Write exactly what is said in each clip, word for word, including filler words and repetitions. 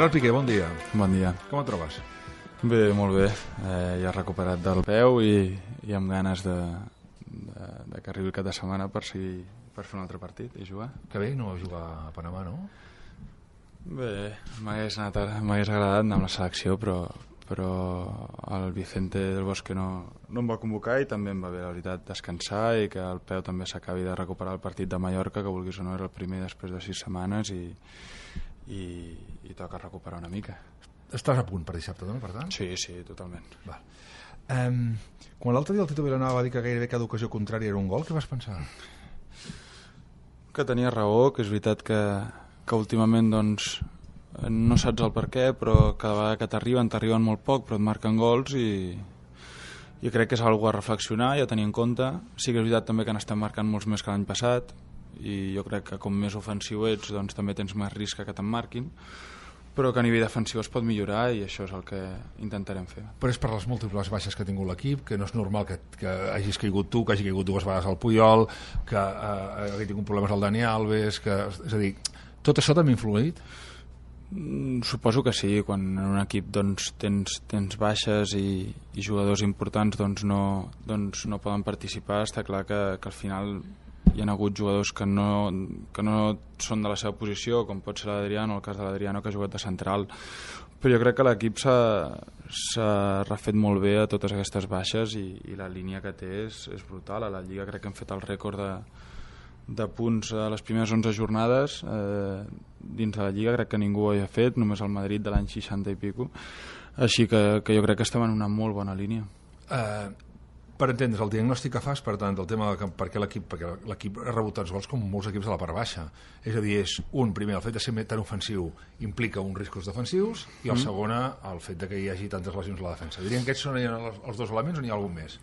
Gerard Piqué, bon dia. Bon dia. Com et trobes? Bé, molt bé. Eh, ja recuperat del peu i, i amb ganes de, de, de que arribi el cap de setmana per, seguir, per fer un altre partit i jugar. Que bé no jugar a Panamà, no? Bé, m'hagués agradat anar amb la selecció, però, però el Vicente del Bosque no, no em va convocar i també em va bé, la veritat, descansar i que el peu també s'acabi de recuperar el partit de Mallorca, que vulguis o no era el primer després de sis setmanes i, i, i toca recuperar una mica. Estàs a punt per dissabte, no? Per tant? Sí, sí, totalment. Val. Um, quan l'altre dia el Tito Vilanova va dir que gairebé cada ocasió contrària era un gol, què vas pensar? Que tenia raó, que és veritat que, que últimament doncs, no saps el per què, però cada vegada que t'arriben, t'arriben molt poc, però et marquen gols i, i crec que és una cosa a reflexionar i a tenir en compte. Sí que és veritat també que n'estem marcant molts més que l'any passat i jo crec que com més ofensiu ets doncs també tens més risc que te'n marquin, però que a nivell defensiu es pot millorar i això és el que intentarem fer. Però és per les múltiples baixes que ha tingut l'equip, que no és normal que, que hagis caigut tu, que hagi caigut dues vegades al Puyol, que eh, hagi tingut problemes al Dani Alves, que, és a dir, tot això també ha influït? Mm, suposo que sí, quan en un equip doncs, tens, tens baixes i, i jugadors importants doncs no, doncs no poden participar, està clar que, que al final hi ha hagut jugadors que no, que no són de la seva posició, com pot ser l'Adriano, el cas de l'Adriano que ha jugat de central, però jo crec que l'equip s'ha refet molt bé a totes aquestes baixes i, i la línia que té és, és brutal. A la Lliga crec que hem fet el rècord de, de punts a les primeres onze jornades eh, dins de la Lliga, crec que ningú ho havia fet, només el Madrid de l'any seixanta i pico, així que, que jo crec que estem en una molt bona línia. Uh... Per entendre's, el diagnòstic que fas, per tant, del tema de per què l'equip perquè l'equip ha rebut tants gols com molts equips de la part baixa. És a dir, és un, primer, el fet de ser tan ofensiu implica uns riscos defensius i el mm. segona, el fet de que hi hagi tantes lesions a la defensa. Dirien que aquests són els dos elements o n'hi ha algun més?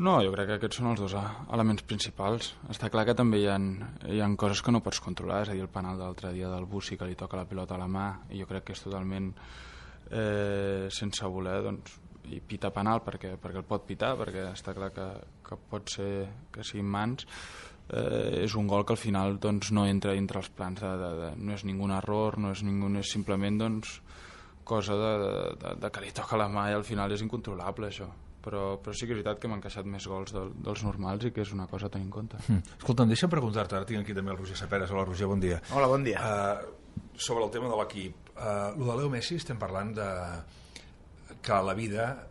No, jo crec que aquests són els dos elements principals. Està clar que també hi ha, hi ha coses que no pots controlar, és a dir, el penal de l'altre dia del Bussi que li toca la pilota a la mà i jo crec que és totalment eh, sense voler, doncs i pita penal perquè, perquè el pot pitar, perquè està clar que, que pot ser que siguin mans, eh, és un gol que al final doncs, no entra dintre els plans de, de, de, no és ningun error, no és, ningun, és simplement doncs, cosa de, de, de que li toca la mà i al final és incontrolable això, però, però sí que és veritat que m'han encaixat més gols de, dels normals i que és una cosa a tenir en compte. mm. Escolta'm, deixa'm preguntar-te, ara tinc aquí també el Roger Saperes. Hola Roger, bon dia. Hola, bon dia. Uh, sobre el tema de l'equip, uh, lo de Leo Messi estem parlant de que a la vida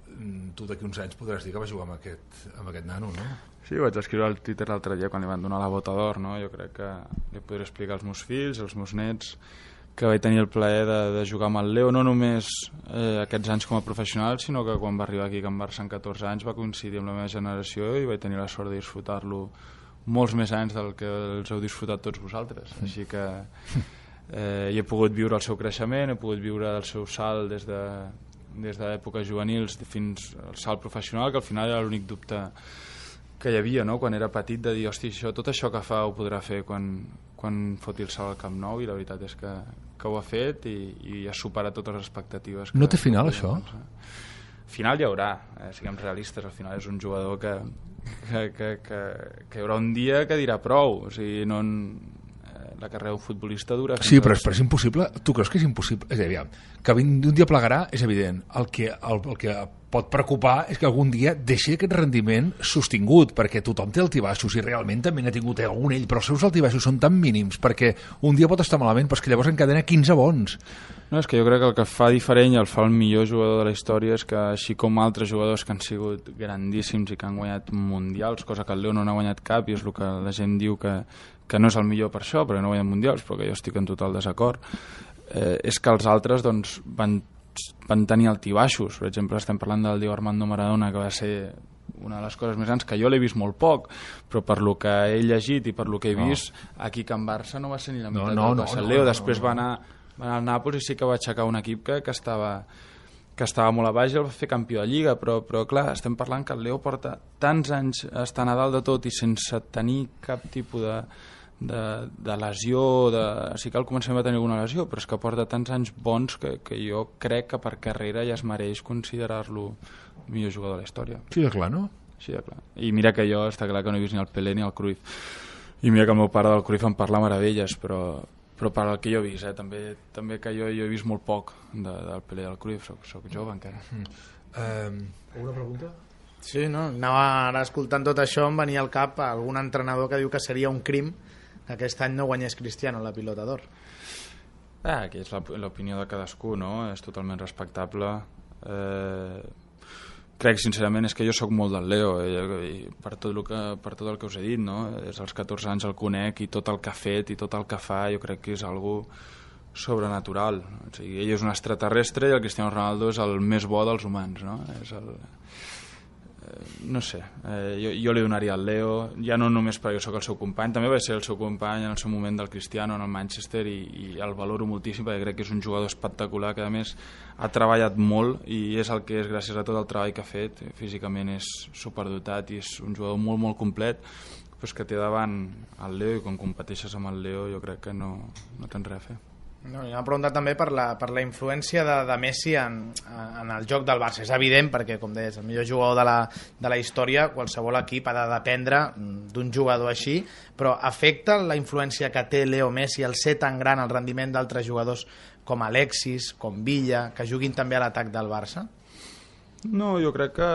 tu d'aquí uns anys podràs dir que vas jugar amb aquest, amb aquest nano, no? Sí, ho vaig escriure al Twitter l'altre dia quan li van donar la bota d'or, no? Jo crec que li podré explicar als meus fills, als meus nets, que vaig tenir el plaer de, de jugar amb el Leo, no només eh, aquests anys com a professional, sinó que quan va arribar aquí a Can Barça amb catorze anys va coincidir amb la meva generació i vaig tenir la sort de disfrutar-lo molts més anys del que els heu disfrutat tots vosaltres. Així que eh, he pogut viure el seu creixement, he pogut viure el seu salt des de des d'èpoques juvenils fins al salt professional, que al final era l'únic dubte que hi havia, no? Quan era petit, de dir, hosti, això, tot això que fa ho podrà fer quan, quan foti el salt al Camp Nou, i la veritat és que, que ho ha fet i, i ha superat totes les expectatives. No té final, això? Final hi haurà, eh? Siguem realistes, al final és un jugador que, que, que, que, que hi haurà un dia que dirà prou, o sigui, no... la carrera d'un futbolista dura... Sí, però és, però és impossible. Tu creus que és impossible? És a dir, que d'un dia plegarà és evident. El que, el, el que pot preocupar és que algun dia deixi aquest rendiment sostingut, perquè tothom té altibaixos i realment també n'ha tingut algun ell, però els seus altibaixos són tan mínims perquè un dia pot estar malament, però és que llavors encadena quinze bons. No, és que jo crec que el que fa diferent i el fa el millor jugador de la història és que, així com altres jugadors que han sigut grandíssims i que han guanyat mundials, cosa que el Leo no n'ha guanyat cap i és el que la gent diu que, que no és el millor per això, perquè no guanyen mundials, però que jo estic en total desacord, eh, és que els altres doncs, van, van tenir altibaixos. Per exemple, estem parlant del Diego Armando Maradona, que va ser una de les coses més grans, que jo l'he vist molt poc, però per lo que he llegit i per lo que he vist, no. Aquí a Can Barça no va ser ni la meitat no, no, del que va ser no, el Leo, no, després no, no. va anar, va anar al Nàpols i sí que va aixecar un equip que, que estava... que estava molt a baix i el va fer campió de Lliga, però, però clar, estem parlant que el Leo porta tants anys estant a dalt de tot i sense tenir cap tipus de, de, de lesió, de... sí que al començament va tenir alguna lesió, però és que porta tants anys bons que, que jo crec que per carrera ja es mereix considerar-lo el millor jugador de la història. Sí, de clar, no? Sí, de clar. I mira que jo està clar que no he vist ni el Pelé ni el Cruyff. I mira que el meu pare del Cruyff em parla meravelles, però, però per al que jo he vist, eh? també, també que jo, jo he vist molt poc de, del Pelé i del Cruyff, soc, soc jove encara. Mm. Um, una pregunta? Sí, no? Anava ara escoltant tot això, em venia al cap algun entrenador que diu que seria un crim que aquest any no guanyés Cristiano la Pilota d'Or. Ah, aquí és l'opinió de cadascú, no? És totalment respectable. Eh, crec sincerament és que jo sóc molt del Leo i, i per, tot el que, per tot el que us he dit, no? Des dels catorze anys el conec i tot el que ha fet i tot el que fa jo crec que és algo sobrenatural. O sigui, ell és un extraterrestre i el Cristiano Ronaldo és el més bo dels humans, no? És el... no sé, eh, jo, jo li donaria al Leo, ja no només perquè jo sóc el seu company, també vaig ser el seu company en el seu moment del Cristiano en el Manchester i, i el valoro moltíssim perquè crec que és un jugador espectacular que a més ha treballat molt i és el que és gràcies a tot el treball que ha fet, físicament és superdotat i és un jugador molt molt complet, però és que té davant el Leo i quan competeixes amb el Leo jo crec que no, no tens res a fer. No, m'ha preguntat també per la, per la influència de, de Messi en, en el joc del Barça. És evident perquè, com deies, el millor jugador de la, de la història, qualsevol equip ha de dependre d'un jugador així, però afecta la influència que té Leo Messi al ser tan gran el rendiment d'altres jugadors com Alexis, com Villa, que juguin també a l'atac del Barça? No, jo crec que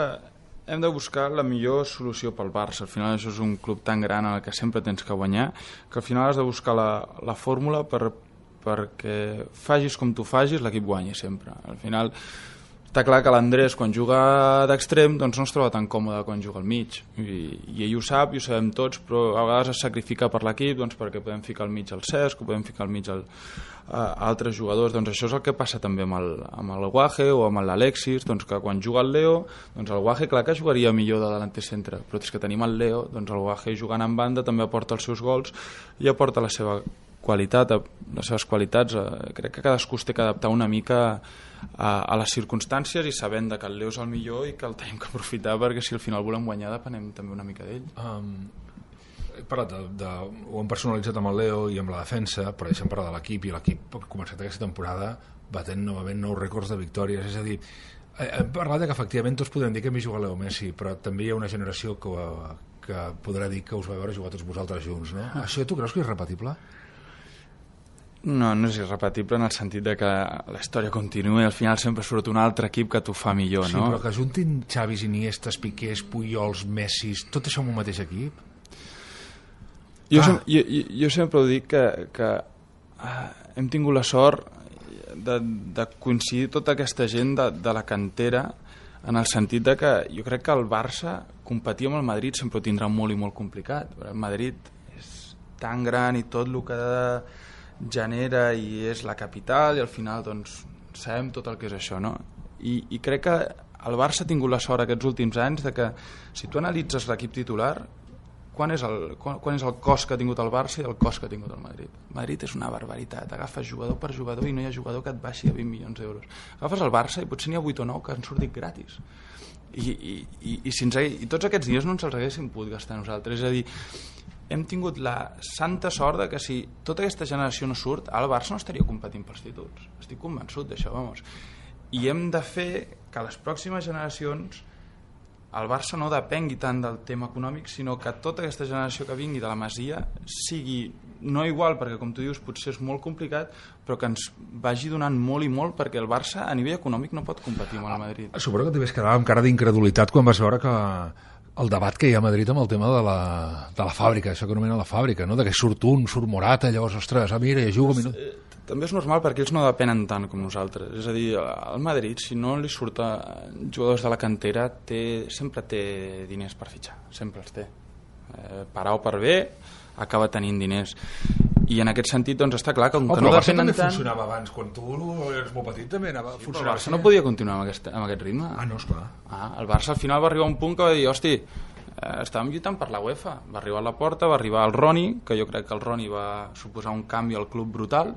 hem de buscar la millor solució pel Barça. Al final això és un club tan gran en el que sempre tens que guanyar, que al final has de buscar la, la fórmula per perquè facis com tu facis l'equip guanyi sempre. Al final està clar que l'Andrés quan juga d'extrem doncs no es troba tan còmode quan juga al mig i, i ell ho sap i ho sabem tots, però a vegades es sacrifica per l'equip doncs, perquè podem ficar al mig el Cesc o podem ficar al mig el, a altres jugadors. Doncs això és el que passa també amb el, amb el Guaje o amb l'Alexis, doncs que quan juga el Leo doncs el Guaje clar que jugaria millor de delanter centre, però és que tenim el Leo, doncs el Guaje jugant en banda també aporta els seus gols i aporta la seva qualitat, les seves qualitats. Eh, crec que cadascú es té que adaptar una mica a, a les circumstàncies i sabent que el Leo és el millor i que el tenim que aprofitar perquè si al final volem guanyar depenem també una mica d'ell. Um, he parlat de, de, ho hem personalitzat amb el Leo i amb la defensa, però deixem parlar de l'equip i l'equip ha començat aquesta temporada batent novament nous rècords de victòries, és a dir, hem parlat de que efectivament tots podem dir que m'hi juga Leo Messi, però també hi ha una generació que, que podrà dir que us va veure jugar tots vosaltres junts, no? Ah. Això tu creus que és repetible? No, no és irrepetible en el sentit de que la història continua i al final sempre surt un altre equip que t'ho fa millor, sí, no? Sí, però que juntin Xavis, Iniestes, Piqués, Pujols, Messis, tot això en un mateix equip? Jo, ah. sem jo, jo, jo sempre ho dic que, que ah, hem tingut la sort de, de coincidir tota aquesta gent de, de la cantera en el sentit de que jo crec que el Barça competir amb el Madrid sempre ho tindrà molt i molt complicat. El Madrid és tan gran i tot el que genera i és la capital i al final doncs sabem tot el que és això, no? I, i crec que el Barça ha tingut la sort aquests últims anys de que si tu analitzes l'equip titular quan és, el, quan, quan és el cost que ha tingut el Barça i el cost que ha tingut el Madrid. El Madrid és una barbaritat, agafes jugador per jugador i no hi ha jugador que et baixi a vint milions d'euros. Agafes el Barça i potser n'hi ha vuit o nou que han sortit gratis i, i, i, i, si ens hagués, i tots aquests dies no ens els haguéssim pogut gastar nosaltres, és a dir, hem tingut la santa sort de que si tota aquesta generació no surt, el Barça no estaria competint pels títols. Estic convençut d'això, vamos. I hem de fer que les pròximes generacions el Barça no depengui tant del tema econòmic, sinó que tota aquesta generació que vingui de la Masia sigui, no igual, perquè com tu dius potser és molt complicat, però que ens vagi donant molt i molt, perquè el Barça a nivell econòmic no pot competir amb el Madrid. Suposo que t'hi vas quedar amb cara d'incredulitat quan vas veure que el debat que hi ha a Madrid amb el tema de la, de la fàbrica, això que anomena la fàbrica, no? De que surt un, surt Morata, llavors, ostres, ah, mira, ja juga... Doncs, eh, també és normal perquè ells no depenen tant com nosaltres. És a dir, al Madrid, si no li surten jugadors de la cantera, té, sempre té diners per fitxar, sempre els té. Eh, per A o per B, acaba tenint diners. I en aquest sentit, doncs, està clar que com oh, que no depenen tant... funcionava abans, quan tu eres molt petit també anava... Sí, el Barça no podia continuar amb aquest, amb aquest ritme. Ah, no, esclar. Ah, el Barça al final va arribar a un punt que va dir, hosti, eh, estàvem lluitant per la UEFA. Va arribar a la porta, va arribar el Roni, que jo crec que el Roni va suposar un canvi al club brutal,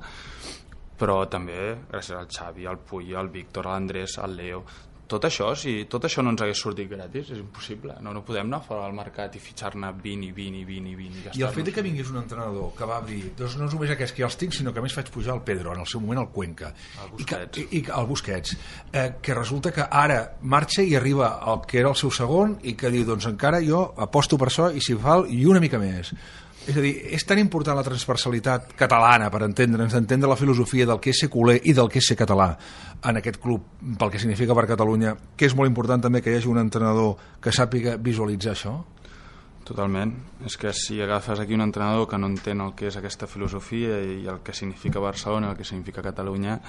però també gràcies al Xavi, al Puy, al Víctor, a l'Andrés, al Leo... Tot això, si tot això no ens hagués sortit gratis, és impossible. No, no podem anar fora del mercat i fitxar-ne vint i vint i vint i vint. I, I el fet que vingués un entrenador que va dir doncs no és només aquests que ja els tinc, sinó que a més faig pujar el Pedro, en el seu moment el Cuenca. El Busquets. I, que, i, i el Busquets. Eh, que resulta que ara marxa i arriba el que era el seu segon i que diu, doncs encara jo aposto per això i si fa i una mica més. És a dir, és tan important la transversalitat catalana per entendre'ns, entendre la filosofia del que és ser culer i del que és ser català en aquest club, pel que significa per Catalunya, que és molt important també que hi hagi un entrenador que sàpiga visualitzar això? Totalment. És que si agafes aquí un entrenador que no entén el que és aquesta filosofia i el que significa Barcelona, el que significa Catalunya,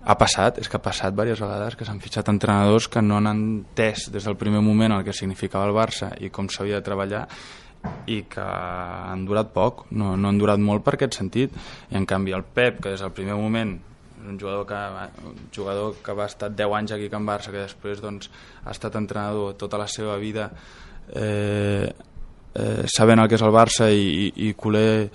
ha passat, és que ha passat diverses vegades que s'han fitxat entrenadors que no han entès des del primer moment el que significava el Barça i com s'havia de treballar, i que han durat poc, no, no han durat molt per aquest sentit. I en canvi el Pep, que des del primer moment un jugador que, un jugador que va estar deu anys aquí a Can Barça, que després doncs, ha estat entrenador tota la seva vida eh, eh, sabent el que és el Barça i, i, i culer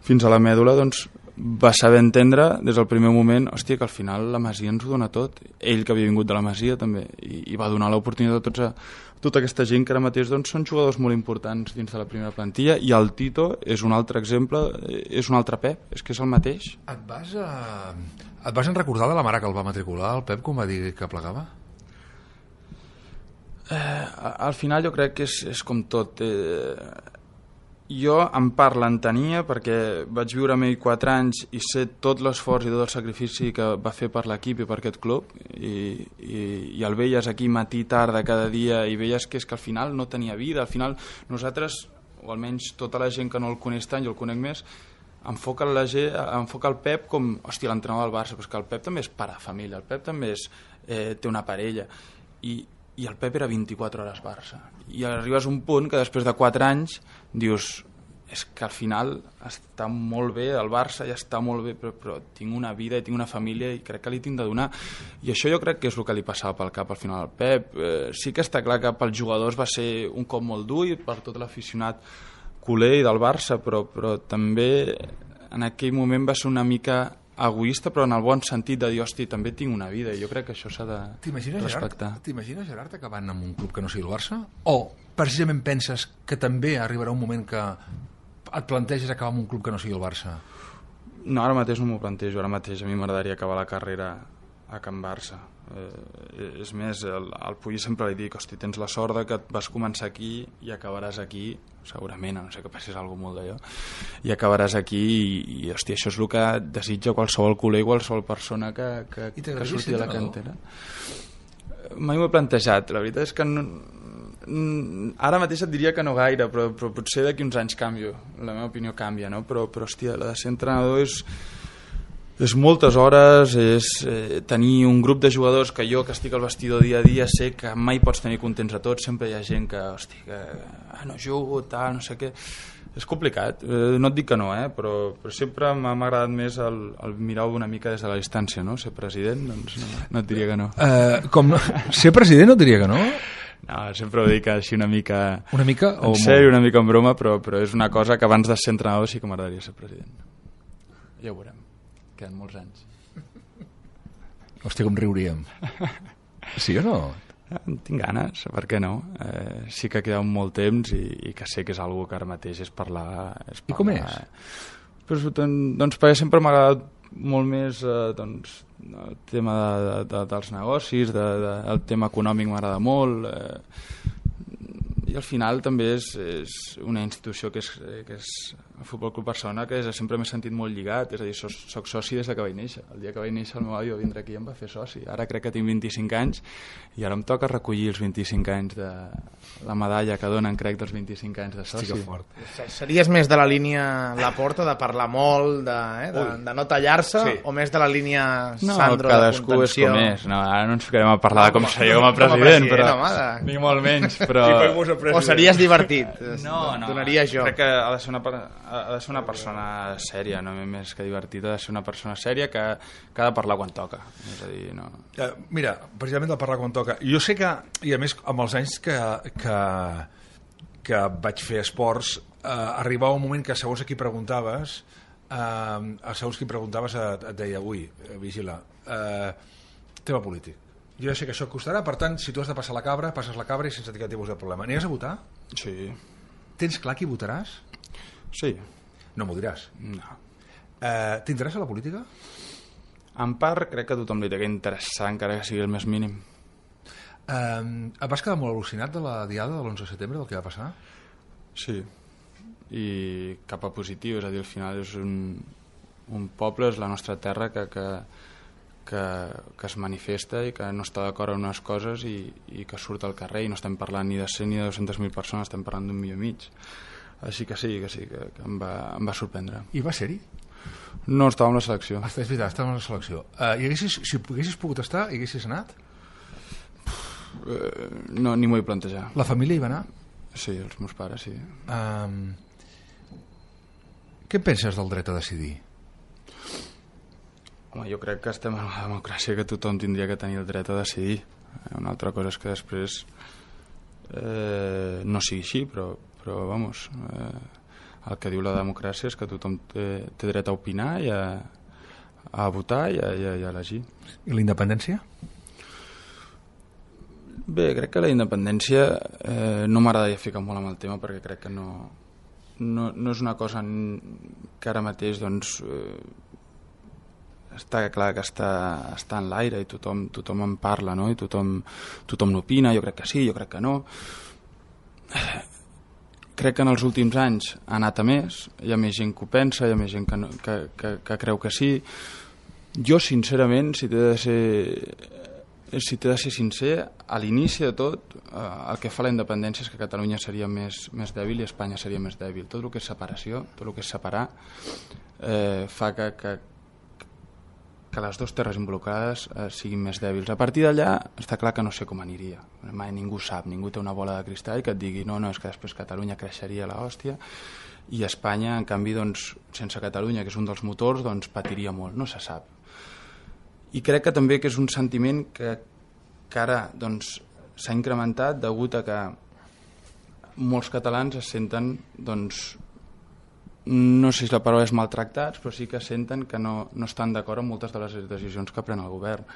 fins a la mèdula, doncs va saber entendre des del primer moment, hòstia, que al final la Masia ens ho dona tot. Ell, que havia vingut de la Masia també, i, i va donar l'oportunitat a tots a tota aquesta gent que ara mateix doncs, són jugadors molt importants dins de la primera plantilla, i el Tito és un altre exemple, és un altre Pep, és que és el mateix. Et vas, a... Et vas en recordar de la mare que el va matricular, el Pep, com va dir que plegava? Eh, al final jo crec que és, és com tot. Eh, jo en part l'entenia perquè vaig viure amb ell quatre anys i sé tot l'esforç i tot el sacrifici que va fer per l'equip i per aquest club, i, i, i el veies aquí matí, tarda, cada dia, i veies que és que al final no tenia vida. Al final nosaltres, o almenys tota la gent que no el coneix tant, jo el conec més, enfoca, la gent, enfoca el Pep com, hòstia, l'entrenador del Barça, però és que el Pep també és pare de família, el Pep també és, eh, té una parella, i, i el Pep era vint-i-quatre hores Barça. I arribes a un punt que després de quatre anys dius, és que al final està molt bé el Barça, ja està molt bé, però, però tinc una vida i tinc una família i crec que li tinc de donar. I això jo crec que és el que li passava pel cap al final al Pep. Eh, sí que està clar que pels jugadors va ser un cop molt dur i per tot l'aficionat culer i del Barça, però, però també en aquell moment va ser una mica egoista, però en el bon sentit de dir, hosti, també tinc una vida, i jo crec que això s'ha de respectar. T'imagines, Gerard, acabant amb un club que no sigui el Barça? O precisament penses que també arribarà un moment que et planteges acabar amb un club que no sigui el Barça? No, ara mateix no m'ho plantejo, ara mateix a mi m'agradaria acabar la carrera a Can Barça. Eh, és més, el, el Puy sempre li dic, hosti, tens la sort de que vas començar aquí i acabaràs aquí, segurament, a no sé que passés alguna molt d'allò, i acabaràs aquí i, i hosti, això és el que desitja qualsevol culer, qualsevol persona que, que, que surti de la cantera. Mai m'ho he plantejat, la veritat és que no, ara mateix et diria que no gaire, però, però potser d'aquí uns anys canvio, la meva opinió canvia, no? Però, però hòstia, la de ser entrenador és és moltes hores, és eh, tenir un grup de jugadors que jo, que estic al vestidor dia a dia, sé que mai pots tenir contents a tots, sempre hi ha gent que, hosti, que ah, no jugo, tal, no sé què. És complicat, eh, no et dic que no, eh, però, però sempre m'ha agradat més el, el mirar una mica des de la distància, no? Ser president, doncs no, no et diria que no. Uh, com no? Ser president no et diria que no? No, sempre ho dic així una mica... Una mica? En sèrio, una mica en broma, però, però és una cosa que abans de ser entrenador sí que m'agradaria ser president. Ja ho veurem. Queden molts anys. Hòstia, com riuríem. Sí o no? Tinc ganes, per què no? Eh, sí que queda molt temps i, i que sé que és algo que ara mateix és parlar... És parlar. I com és? Pues, doncs perquè sempre m'ha agradat molt més eh, doncs, el tema de, de, de, dels negocis, de, de, el tema econòmic m'agrada molt, eh, i al final també és, és una institució que és, que és el Futbol Club Barcelona, que és, sempre m'he sentit molt lligat, és a dir, soc, soc soci des de que vaig néixer. El dia que vaig néixer el meu avi va vindre aquí i em va fer soci. Ara crec que tinc vint-i-cinc anys i ara em toca recollir els vint-i-cinc anys de la medalla que donen, crec, dels vint-i-cinc anys de soci. Sí, fort. Series més de la línia Laporta, de parlar molt, de, eh, de, de no tallar-se, sí, o més de la línia Sandro, no, cadascú de contenció? És com és. No, ara no ens ficarem a parlar no, de com seria com a president, com a president però home, ni molt menys. Però... o series divertit, no, no, donaria jo. Crec que ha de ser una, ha de ser una persona sèria, no més que divertida, ha de ser una persona sèria que, que ha de parlar quan toca. És a dir, no... Uh, mira, precisament de parlar quan toca. Jo sé que, i a més, amb els anys que, que, que vaig fer esports, uh, arribava un moment que segons a qui preguntaves, uh, segons qui preguntaves et, et deia, ui, vigila, uh, tema polític. Jo ja sé que això et costarà, per tant, si tu has de passar la cabra, passes la cabra i sense cap tipus de problema. Aniràs a votar? Sí. Tens clar qui votaràs? Sí. No m'ho diràs? No. Eh, T'interessa la política? En part, crec que a tothom li té que interessar, encara que sigui el més mínim. Eh, et vas quedar molt al·lucinat de la diada de l'onze de setembre, del que va passar? Sí. i cap a positiu, és a dir, al final és un, un poble, és la nostra terra que, que, que, que es manifesta i que no està d'acord amb unes coses i, i que surt al carrer, i no estem parlant ni de cent ni de dues-centes mil persones, estem parlant d'un milió i mig. Així que sí, que sí, que, que em, va, em va sorprendre. I va ser-hi? No estava en la selecció. Ah, és veritat, estava en la selecció. Uh, i haguessis, si haguessis pogut estar, hi haguessis anat? Uh, no, ni m'ho he plantejat. La família hi va anar? Sí, els meus pares, sí. Um, què en penses del dret a decidir? Home, jo crec que estem en una democràcia que tothom tindria que tenir el dret a decidir. Una altra cosa és que després eh, no sigui així, però, però vamos, eh, el que diu la democràcia és que tothom té, té dret a opinar i a, a votar i a, i a, i a elegir. I la independència? Bé, crec que la independència eh, no m'agradaria ficar molt amb el tema perquè crec que no, no, no és una cosa que ara mateix doncs, eh, està clar que està, està en l'aire i tothom, tothom en parla, no? I tothom, tothom n'opina, jo crec que sí, jo crec que no. Crec que en els últims anys ha anat a més, hi ha més gent que ho pensa, hi ha més gent que, no, que, que, que creu que sí. Jo, sincerament, si t'he de ser... si t'he de ser sincer, a l'inici de tot eh, el que fa la independència és que Catalunya seria més, més dèbil i Espanya seria més dèbil. Tot el que és separació, tot el que és separar eh, fa que, que, que les dues terres involucrades eh, siguin més dèbils. A partir d'allà està clar que no sé com aniria, mai ningú sap, ningú té una bola de cristall que et digui no, no, és que després Catalunya creixeria a l'hòstia i Espanya, en canvi, doncs, sense Catalunya, que és un dels motors, doncs patiria molt, no se sap. I crec que també que és un sentiment que, que ara doncs, s'ha incrementat degut a que molts catalans es senten, doncs, no sé si la paraula és maltractats, però sí que senten que no, no estan d'acord amb moltes de les decisions que pren el govern.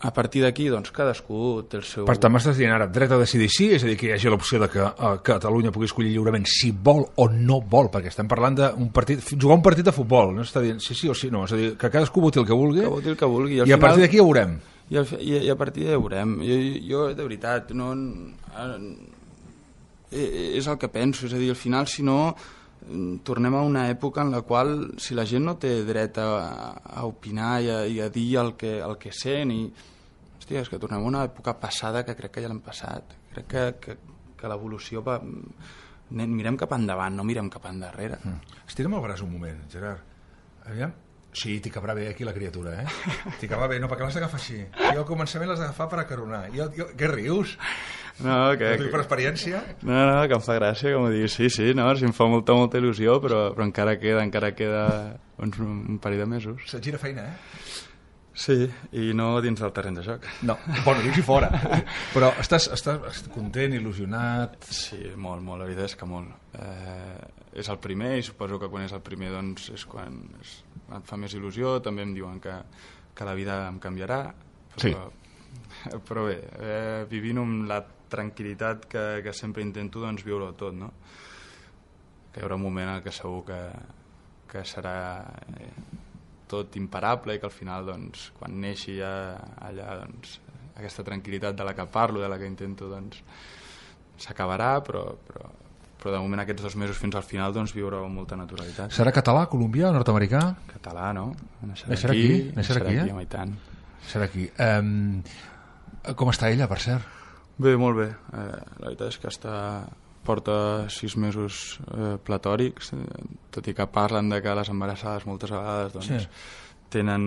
A partir d'aquí, doncs, cadascú té el seu... Per tant, m'estàs dient ara, dret a decidir sí, és a dir, que hi hagi l'opció de que uh, Catalunya pugui escollir lliurement si vol o no vol, perquè estem parlant d'un partit, jugar un partit de futbol, no està dient sí, sí o sí, no, és a dir, que cadascú voti el que vulgui, que voti el que vulgui i, i a final, partir d'aquí ja veurem. I, al, i, i a partir d'allà ja veurem. Jo, jo, de veritat, no... És el que penso, és a dir, al final, si no, tornem a una època en la qual, si la gent no té dret a, a opinar i a, i a dir el que, el que sent i... Hòstia, és que tornem a una època passada que crec que ja l'hem passat. Crec que, que, que l'evolució va... Mirem cap endavant, no mirem cap endarrere. Mm. Estira'm el braç un moment, Gerard. Aviam. Sí, t'hi cabrà bé aquí la criatura, eh? T'hi cabrà bé, no, perquè l'has d'agafar així. Jo al començament l'has d'agafar per acaronar. Jo, jo, què rius? No, que... Per experiència? No, no, que em fa gràcia, com ho diguis. Sí, sí, no, sí, em fa molta, molta il·lusió, però, però encara queda, encara queda uns, un parell de mesos. Se't gira feina, eh? Sí, i no dins del terreny de joc. No, bueno, dins i fora. Però estàs, estàs content, il·lusionat? Sí, molt, molt, la veritat és que molt. Eh, és el primer i suposo que quan és el primer doncs és quan és, et fa més il·lusió. També em diuen que, que la vida em canviarà. Però, sí. Però bé, eh, vivint amb la tranquil·litat que, que sempre intento doncs, viure-ho tot, no? Que hi haurà un moment en què segur que, que serà... Eh, tot imparable i que al final doncs, quan neixi ja allà doncs, aquesta tranquil·litat de la que parlo, de la que intento doncs, s'acabarà, però, però, però de moment aquests dos mesos fins al final doncs, viure-ho amb molta naturalitat. Serà català, colombià, nord-americà? Català, no? Naixerà aquí, aquí, naixerà aquí, aquí, eh? home, i tant. Serà aquí. Um, com està ella, per cert? Bé, molt bé. Eh, la veritat és que està... porta sis mesos eh, platòrics, eh, tot i que parlen de que les embarassades moltes vegades doncs, sí. tenen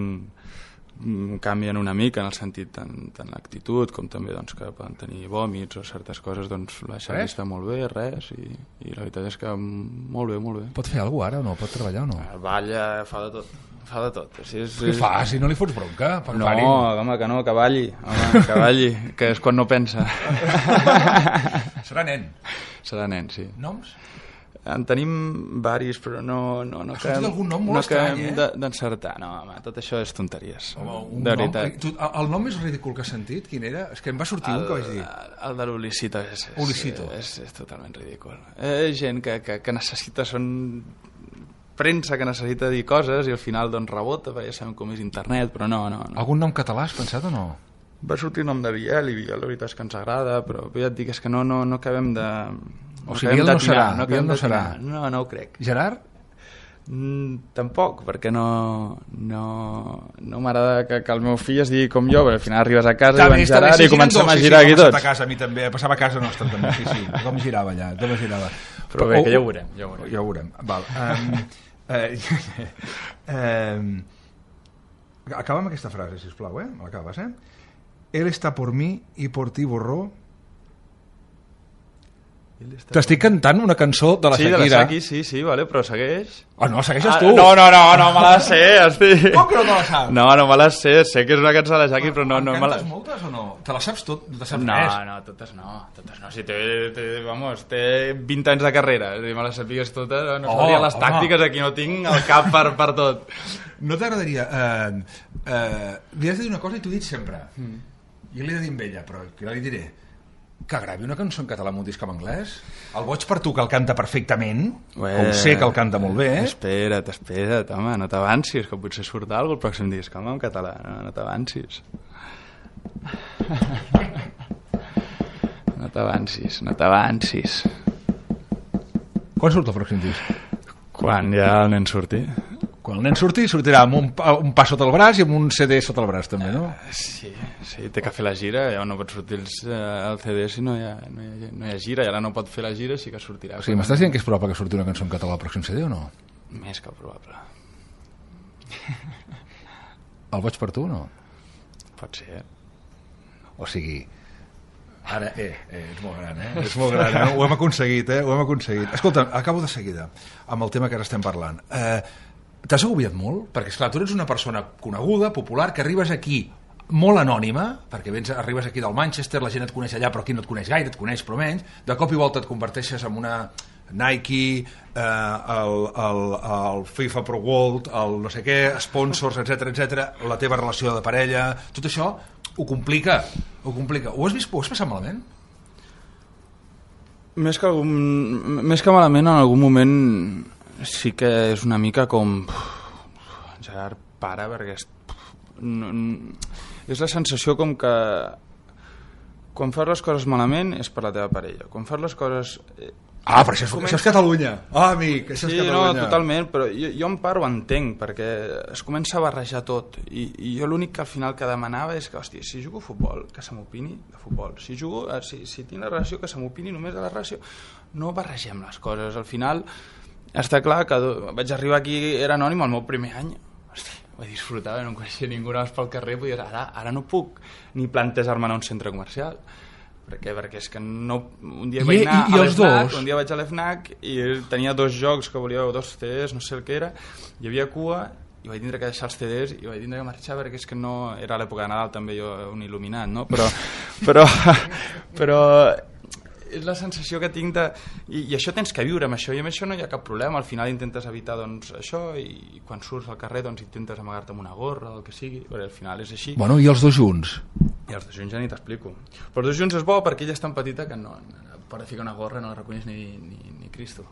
canvien una mica en el sentit tant, tant l'actitud com també doncs, que poden tenir vòmits o certes coses, doncs la Xavi està molt bé, res, i, i la veritat és que molt bé, molt bé. Pot fer alguna cosa ara o no? Pot treballar o no? Balla, fa de tot. Fa de tot. Si és, Què fa? Si no li fots bronca? No, home, que no, que balli. Home, que balli, que és quan no pensa. Serà nen. Serà nen, sí. Noms? En tenim varis, però no... no, no Has sentit algun nom molt no estrany, eh? d'encertar. No, home, tot això és tonteries. Home, un de nom, veritat. tu, el nom més ridícul que has sentit, quin era? És que em va sortir el, un que vaig dir. El de l'Ulicito és, és, Ulicito. és, és, és totalment ridícul. Eh, gent que, que, que necessita... Són premsa que necessita dir coses i al final doncs rebota, perquè ja sabem com és internet, però no, no, no. Algun nom català has pensat o no? Va sortir el nom de Biel, i Biel la veritat és que ens agrada, però ja et dic, és que no, no, no acabem de, O sigui, Biel no serà. No, Biel no serà. No, no ho crec. Gerard? Mm, tampoc, perquè no, no, no m'agrada que, que el meu fill es digui com jo, perquè al final arribes a casa i van Gerard i comencem a girar aquí tots. A casa, a mi també, passava a casa nostra també, sí, sí, tothom girava allà, tothom girava. Però, Però bé, que ja ho veurem. Ja ho veurem. Ja ho veurem. Val. Um, eh, eh, acaba amb aquesta frase, sisplau, eh? Me l'acabes, eh? Él está por mí y por ti borró. T'estic cantant una cançó de la sí, Shakira. Sí, de la Shakira, sí, sí, vale, però segueix. Ah, no, segueixes ah, tu. No, no, no, no me la sé, estic... Com que no te la saps? No, no me la sé, sé que és una cançó de la Shakira, però no, no me la... Cantes moltes o no? Te la saps tot? No te saps no, res? No, totes no, totes no. Si té, té, vamos, té vint anys de carrera, és a dir, me les sapigues totes, no oh, sabria les home. tàctiques, aquí no tinc el cap per, per tot. No t'agradaria... Eh, eh, li has de dir una cosa i t'ho he dit sempre. Mm. Jo li he de dir amb ella, però que li diré... que gravi una cançó en català amb un disc en anglès? El Boig per tu, que el canta perfectament, Ué, que ho sé que el canta molt bé. Espera't, espera't, home, no t'avancis, que potser surt alguna cosa el pròxim disc, home, en català, no, no t'avancis. No t'avancis, no t'avancis. Quan surt el pròxim disc? Quan ja el nen surti. Quan el nen surti, sortirà amb un, un pas sota el braç i amb un C D sota el braç, també, no? Uh, sí, sí, té que fer la gira, ja no pot sortir els, uh, el C D si no hi, ha, no, hi ha, no hi ha gira, i ara no pot fer la gira, sí que sortirà. O sigui, m'estàs dient que és probable que surti una cançó en català al pròxim C D o no? Més que probable. El Boig per tu o no? Pot ser. O sigui... Ara, eh, eh, ets molt gran, eh? Ets molt gran, eh? Ho hem aconseguit, eh? Ho hem aconseguit. Escolta, acabo de seguida amb el tema que ara estem parlant. Eh, T'has agobiat molt? Perquè, esclar, tu ets una persona coneguda, popular, que arribes aquí molt anònima, perquè vens, arribes aquí del Manchester, la gent et coneix allà, però aquí no et coneix gaire, et coneix però menys, de cop i volta et converteixes en una Nike, eh, el, el, el FIFA Pro World, el no sé què, sponsors, etc etc, la teva relació de parella, tot això ho complica, ho complica. Ho has vist, ho has passat malament? Més que, algun, més que malament, en algun moment sí que és una mica com Gerard, para, perquè és, no, és la sensació com que quan fas les coses malament és per la teva parella, quan fas les coses ah, però això és, comença... això és Catalunya ah, amic, això sí, és Catalunya no, totalment, però jo, jo en part ho entenc perquè es comença a barrejar tot i, i jo l'únic que al final que demanava és que, hòstia, si jugo a futbol, que se m'opini de futbol, si jugo, si, si tinc la relació que se m'opini només de la relació, no barregem les coses, al final està clar que vaig arribar aquí, era anònim el meu primer any. Hosti, ho disfrutava, no em coneixia ningú, anaves pel carrer i dir, ara, ara no puc ni plantejar-me anar a un centre comercial. Per què? Perquè és que no... Un dia I, vaig anar i, i a l'FNAC, un dia vaig a l'FNAC i tenia dos jocs que volia, dos C Ds, no sé el que era, hi havia cua i vaig tindre que deixar els C Ds i vaig tindre que marxar perquè és que no... Era l'època de Nadal també, jo un il·luminat, no? Però... però, però és la sensació que tinc de... I, i això tens que viure amb això, i amb això no hi ha cap problema, al final intentes evitar doncs, això, i quan surts al carrer doncs, intentes amagar-te amb una gorra o el que sigui, perquè al final és així. Bueno, i els dos junts? I els dos junts ja ni t'explico. Però els dos junts és bo perquè ella és tan petita que no, per ficar una gorra no la reconeix ni, ni, ni Cristo.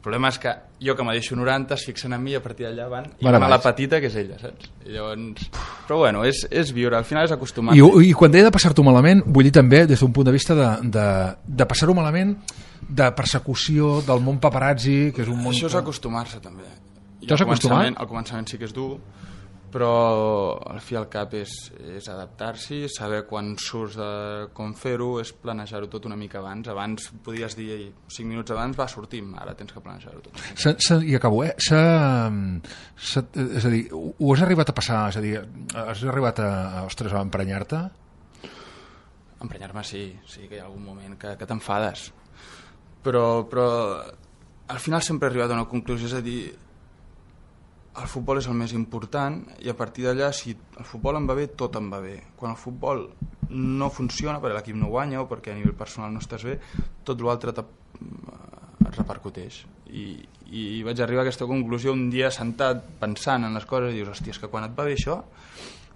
El problema és que jo que me deixo noranta es fixen en mi i a partir d'allà van i van a la petita que és ella, saps? I llavors... Però bueno, és, és viure, al final és acostumar. I, I quan deia de passar-t'ho malament, vull dir també des d'un punt de vista de, de, de passar-ho malament, de persecució, del món paparazzi, que és un món... Això és acostumar-se també. T'has acostumat? Al començament sí que és dur, però al fi al cap és, és adaptar-s'hi, saber quan surts de com fer-ho, és planejar-ho tot una mica abans. Abans podies dir cinc minuts abans, va, sortim, ara tens que planejar-ho tot. S -s I acabo, eh? S -s és a dir, ho has arribat a passar, és a dir, has arribat a, ostres, a emprenyar-te? Emprenyar-me sí, sí que hi ha algun moment que, que t'enfades, però, però al final sempre he arribat a una conclusió, és a dir, el futbol és el més important i a partir d'allà, si el futbol em va bé, tot em va bé. Quan el futbol no funciona perquè l'equip no guanya o perquè a nivell personal no estàs bé, tot l'altre et repercuteix. I, i vaig arribar a aquesta conclusió un dia sentat pensant en les coses i dius, hòstia, és que quan et va bé això,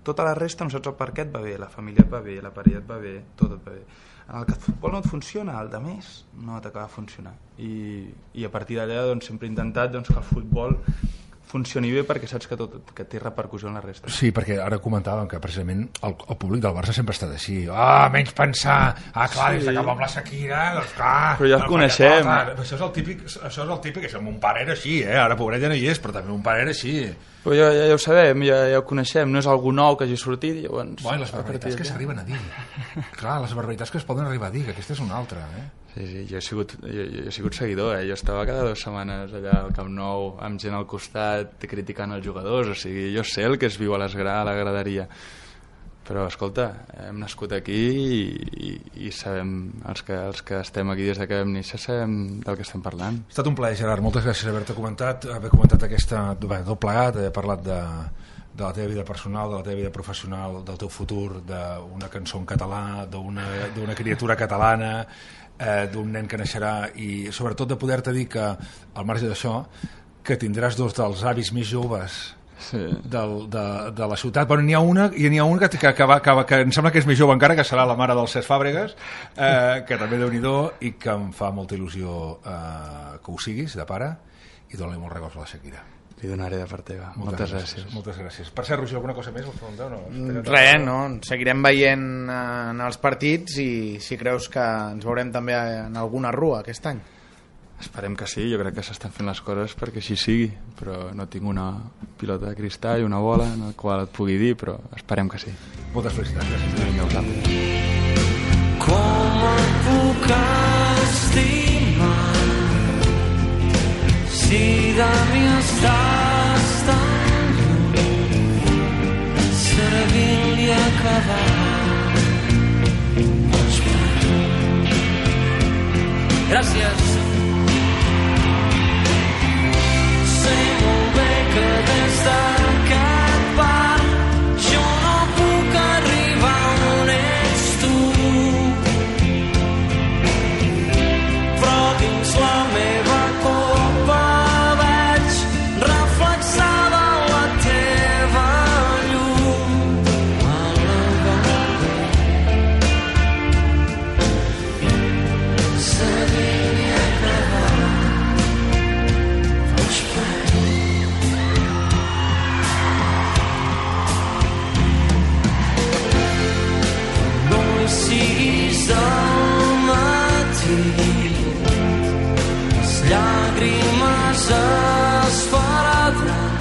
tota la resta no saps el per què et va bé, la família et va bé, la parella et va bé, tot et va bé. En el que el futbol no et funciona, el de més no t'acaba de funcionar. I, i a partir d'allà doncs, sempre he intentat doncs, que el futbol funcioni bé perquè saps que, tot, que té repercussió en la resta. Sí, perquè ara comentàvem que precisament el, el públic del Barça sempre ha estat així. Ah, menys pensar. Ah, clar, sí. Des de que amb la Shakira, doncs clar... Però ja el coneixem. Clar, això és el típic, això és el típic, això mon pare era així, eh? Ara pobret ja no hi és, però també mon pare era així. Però ja, ja, ja ho sabem, ja, ja ho coneixem, no és algú nou que hagi sortit, llavors... Bueno, les barbaritats que s'arriben a dir. Clar, les barbaritats que es poden arribar a dir, que aquesta és una altra, eh? Sí, sí, jo he sigut, jo, jo he sigut seguidor, eh? Jo estava cada dues setmanes allà al Camp Nou amb gent al costat criticant els jugadors, o sigui, jo sé el que es viu a, l'esgra, a la graderia, però escolta, hem nascut aquí i, i, i sabem, els que, els que estem aquí des que vam néixer sabem del que estem parlant. Ha estat un plaer, Gerard, moltes gràcies haver-te comentat, haver comentat aquesta, bé, tot plegat, haver parlat de, de la teva vida personal, de la teva vida professional, del teu futur, d'una cançó en català, d'una criatura catalana, eh, d'un nen que naixerà, i sobretot de poder-te dir que, al marge d'això, que tindràs dos dels avis més joves sí. del, de, de la ciutat. Bueno, n'hi ha una, i n'hi ha una que, que, que, va, que, que em sembla que és més jove encara, que serà la mare del Cesc Fàbregas, eh, que també déu-n'hi-do, i que em fa molta il·lusió eh, que ho siguis, de pare, i dona-li molt records a la Shakira. Li donaré de part teva. Moltes, moltes gràcies. gràcies. Moltes gràcies. Per cert, Roger, alguna cosa més? O no? Res, no. Seguirem veient en els partits i si creus que ens veurem també en alguna rua aquest any. Esperem que sí, jo crec que s'estan fent les coses perquè així sigui, però no tinc una pilota de cristall, una bola en la qual et pugui dir, però esperem que sí. Moltes felicitats. Gràcies. Vinga, us amo. Com et puc estimar si de mi estàs tan lluny, servint-li a acabar. Gràcies. Sé molt bé que des d'aquest bar jo no puc arribar on ets tu, però dins la meva copa veig reflexada la teva llum a la vora. Sabia acabar, vaig perdre. No hi siguis al matí, les llàgrimes es perdran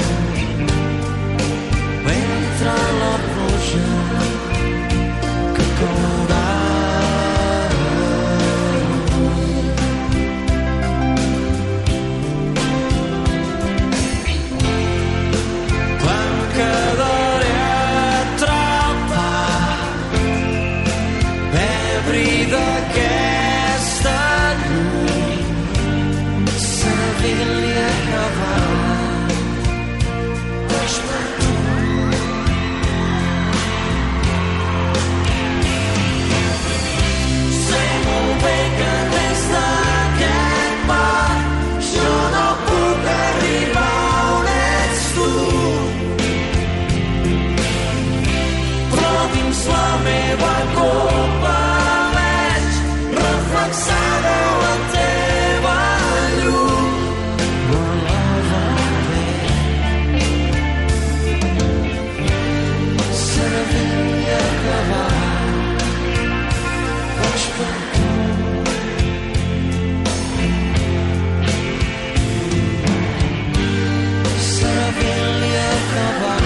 mentre la pluja que caurà. Em quedaré atrapat, ebri d'aquesta llum, servint-li a acabar. Vaig per tu. Sé molt bé que des d'aquest bar jo no puc arribar on ets tu, però dins la meva copa veig reflexada la teva llum a la vora. Servint-li a acabar, vaig per tu. Servint-li a acabar.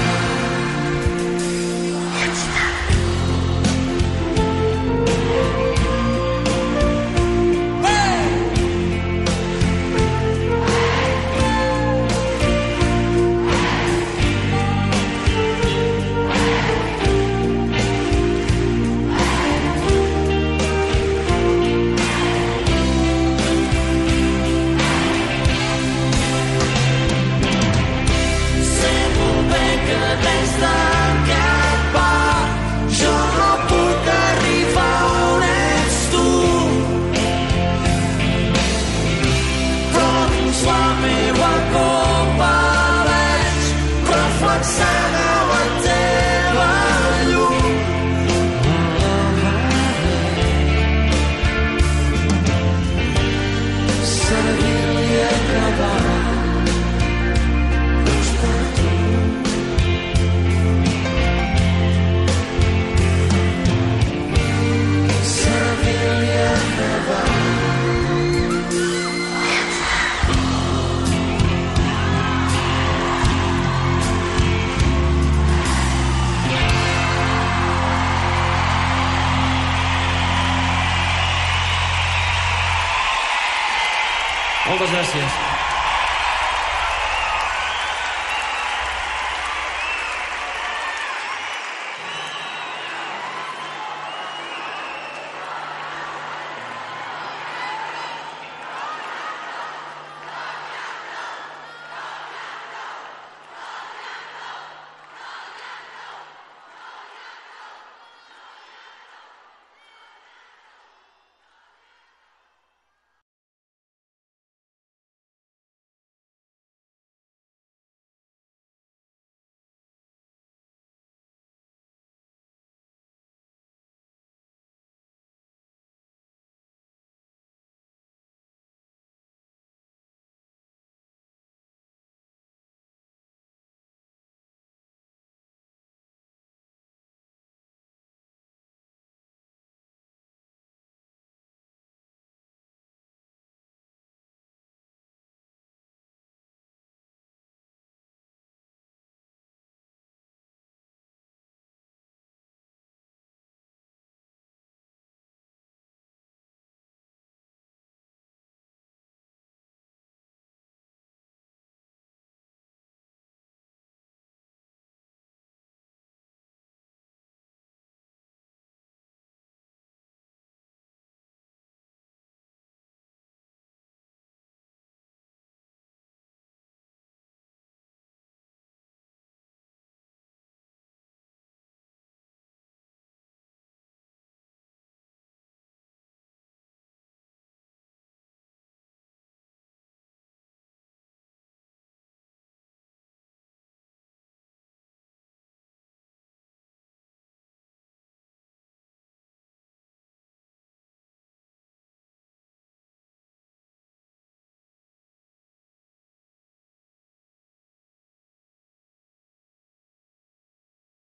Moltes gràcies.